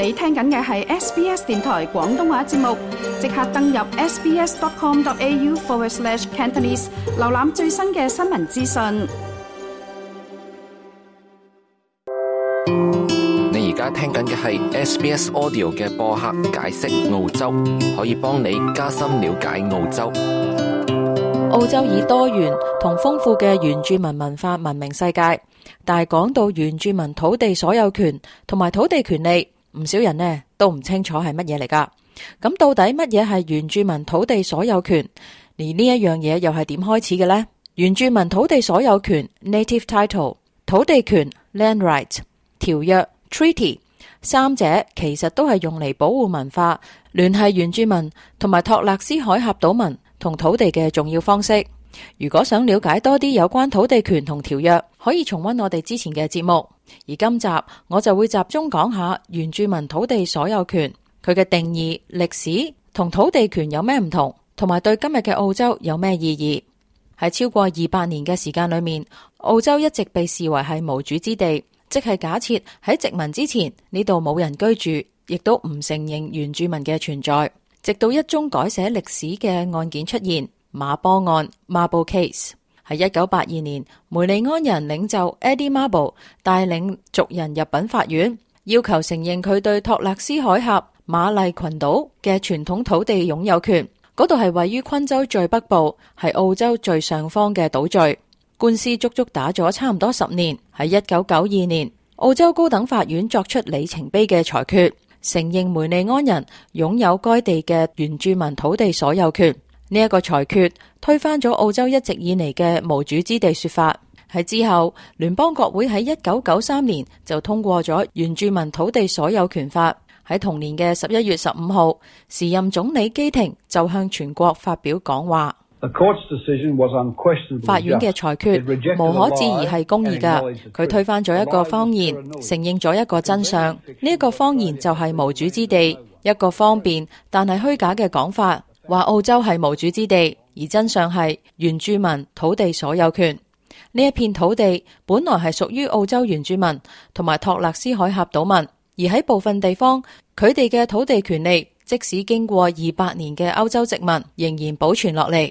你聽緊嘅係 SBS 電台廣東話節目，即刻登入 sbs.com.au/Cantonese 瀏覽最新嘅新聞資訊。你而家聽緊嘅係 SBS Audio 嘅播客解釋澳洲，可以幫你加深了解澳洲。澳洲以多元同豐富嘅原住民文化聞名世界，但係講到原住民土地所有權同埋土地權利，唔少人呢都唔清楚係乜嘢嚟㗎。咁到底乜嘢係原住民土地所有權？而呢一樣嘢又係點開始嘅呢？原住民土地所有權 Native Title、土地權 Land Right、條約 Treaty， 三者其實都係用嚟保護文化、聯繫原住民同埋托勒斯海峽島民同土地嘅重要方式。如果想了解多啲有關土地權同條約，可以重溫我哋之前嘅節目。而今集我就會集中講下原住民土地所有權，佢嘅定義、歷史同土地權有咩唔同，同埋對今日嘅澳洲有咩意義。喺超過200年嘅時間裏面，澳洲一直被視為係無主之地，即係假設喺殖民之前呢度冇人居住，亦都唔承認原住民嘅存在。直到一宗改寫歷史嘅案件出現，馬波案 Mabo Case， 喺1982年，梅利安人領袖 Eddie Mabo 帶領族人入稟法院，要求承認佢對托勒斯海峽馬麗群島嘅傳統土地擁有權。嗰度係位於昆州最北部，係澳洲最上方嘅島嶼。官司足足打咗差唔多10年。喺1992年，澳洲高等法院作出里程碑嘅裁決，承認梅利安人擁有該地嘅原住民土地所有權。呢一個裁決推翻咗澳洲一直以嚟嘅無主之地說法。喺之後，聯邦國會喺1993年就通過咗原住民土地所有權法。喺同年嘅11月15號，時任總理基廷就向全國發表講話。法院嘅裁決無可置疑係公義㗎，佢推翻咗一個謊言，承認咗一個真相。呢一個謊言就係無主之地，一個方便但係虛假嘅講法，話澳洲係無主之地，而真相係原住民土地所有權。呢一片土地本來係屬於澳洲原住民同埋托勒斯海峽島民，而喺部分地方，佢哋嘅土地權利即使經過200年嘅歐洲殖民，仍然保存落嚟。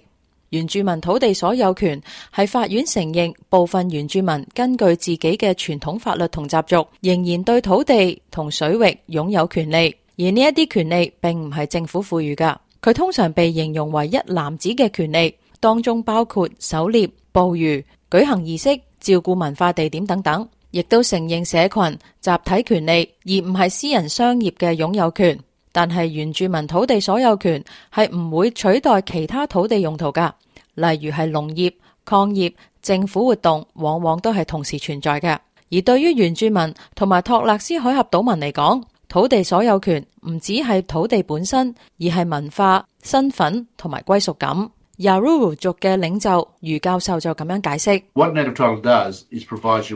原住民土地所有權係法院承認部分原住民根據自己嘅傳統法律同習俗，仍然對土地同水域擁有權利，而呢一啲權利並唔係政府賦予㗎。佢通常被形容為一籃子嘅權利，當中包括狩獵、捕魚、舉行儀式、照顧文化地點等等，亦都承認社群集體權利，而唔係私人商業嘅擁有權。但係原住民土地所有權係唔會取代其他土地用途㗎，例如係農業、礦業、政府活動，往往都係同時存在嘅。而對於原住民同埋托勒斯海峽島民嚟講，土地所有權唔只係土地本身，而係文化、身份同埋歸屬感。Yaruru 族嘅領袖余教授就咁樣解釋：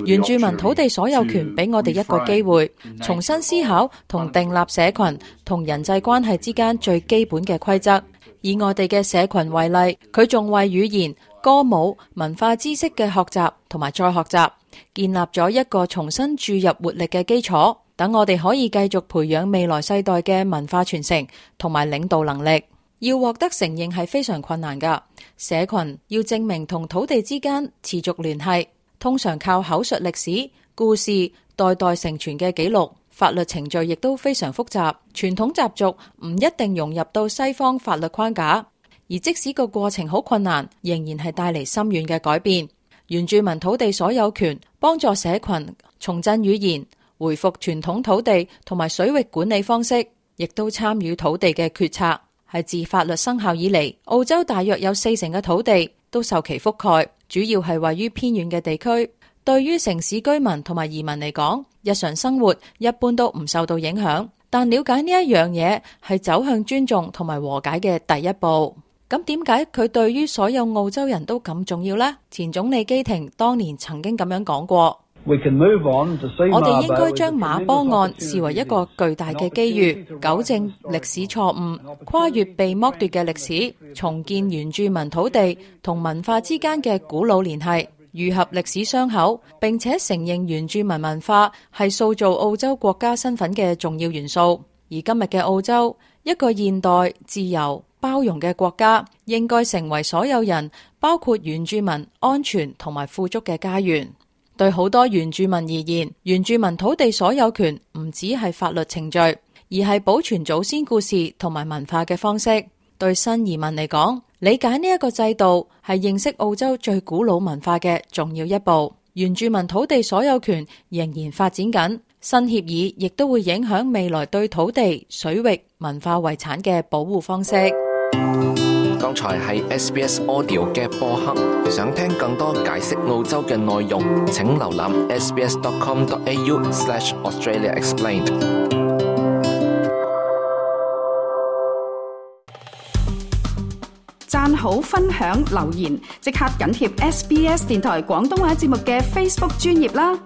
原住民土地所有權俾我哋一個機會，重新思考同訂立社群同人際關係之間最基本嘅規則。以我哋嘅社群為例，佢仲為語言、歌舞、文化知識嘅學習同埋再學習，建立咗一個重新注入活力嘅基礎，等我哋可以繼續培養未來世代嘅文化傳承同埋領導能力。要獲得承認係非常困難㗎，社群要證明同土地之間持續聯繫，通常靠口述歷史、故事、代代承傳嘅記錄。法律程序亦都非常複雜，傳統習俗唔一定融入到西方法律框架，而即使個過程好困難，仍然係帶嚟深遠嘅改變。原住民土地所有權幫助社群重振語言，回復傳統土地同埋水域管理方式，亦都參與土地嘅決策。係自法律生效以嚟，澳洲大約有40%嘅土地都受其覆蓋，主要係位於偏遠嘅地區。對於城市居民同埋移民嚟講，日常生活一般都唔受到影響。但了解呢一樣嘢係走向尊重同埋和解嘅第一步。咁點解佢對於所有澳洲人都咁重要呢？前總理基廷當年曾經咁樣講過。我哋應該將馬波案視為一個巨大嘅機遇，糾正歷史錯誤，跨越被剝奪嘅歷史，重建原住民土地同文化之間嘅古老聯繫。愈合歷史傷口，並且承認原住民文化係塑造澳洲國家身份嘅重要元素。而今日嘅澳洲，一個現代、自由、包容嘅國家，應該成為所有人，包括原住民安全同埋富足嘅家園。對好多原住民而言，原住民土地所有權唔只係法律程序，而係保存祖先故事同埋文化嘅方式。對新移民嚟講，理解呢一個制度係認識澳洲最古老文化嘅重要一步。原住民土地所有權仍然發展緊，新協議亦都會影響未來對土地、水域、文化遺產嘅保護方式。剛才係 SBS Audio 嘅播客，想聽更多解釋澳洲嘅內容，請瀏覽 sbs.com.au/AustraliaExplained。讚好、分享、留言，即刻緊貼SBS 電台廣東話節目嘅 Facebook 專頁啦！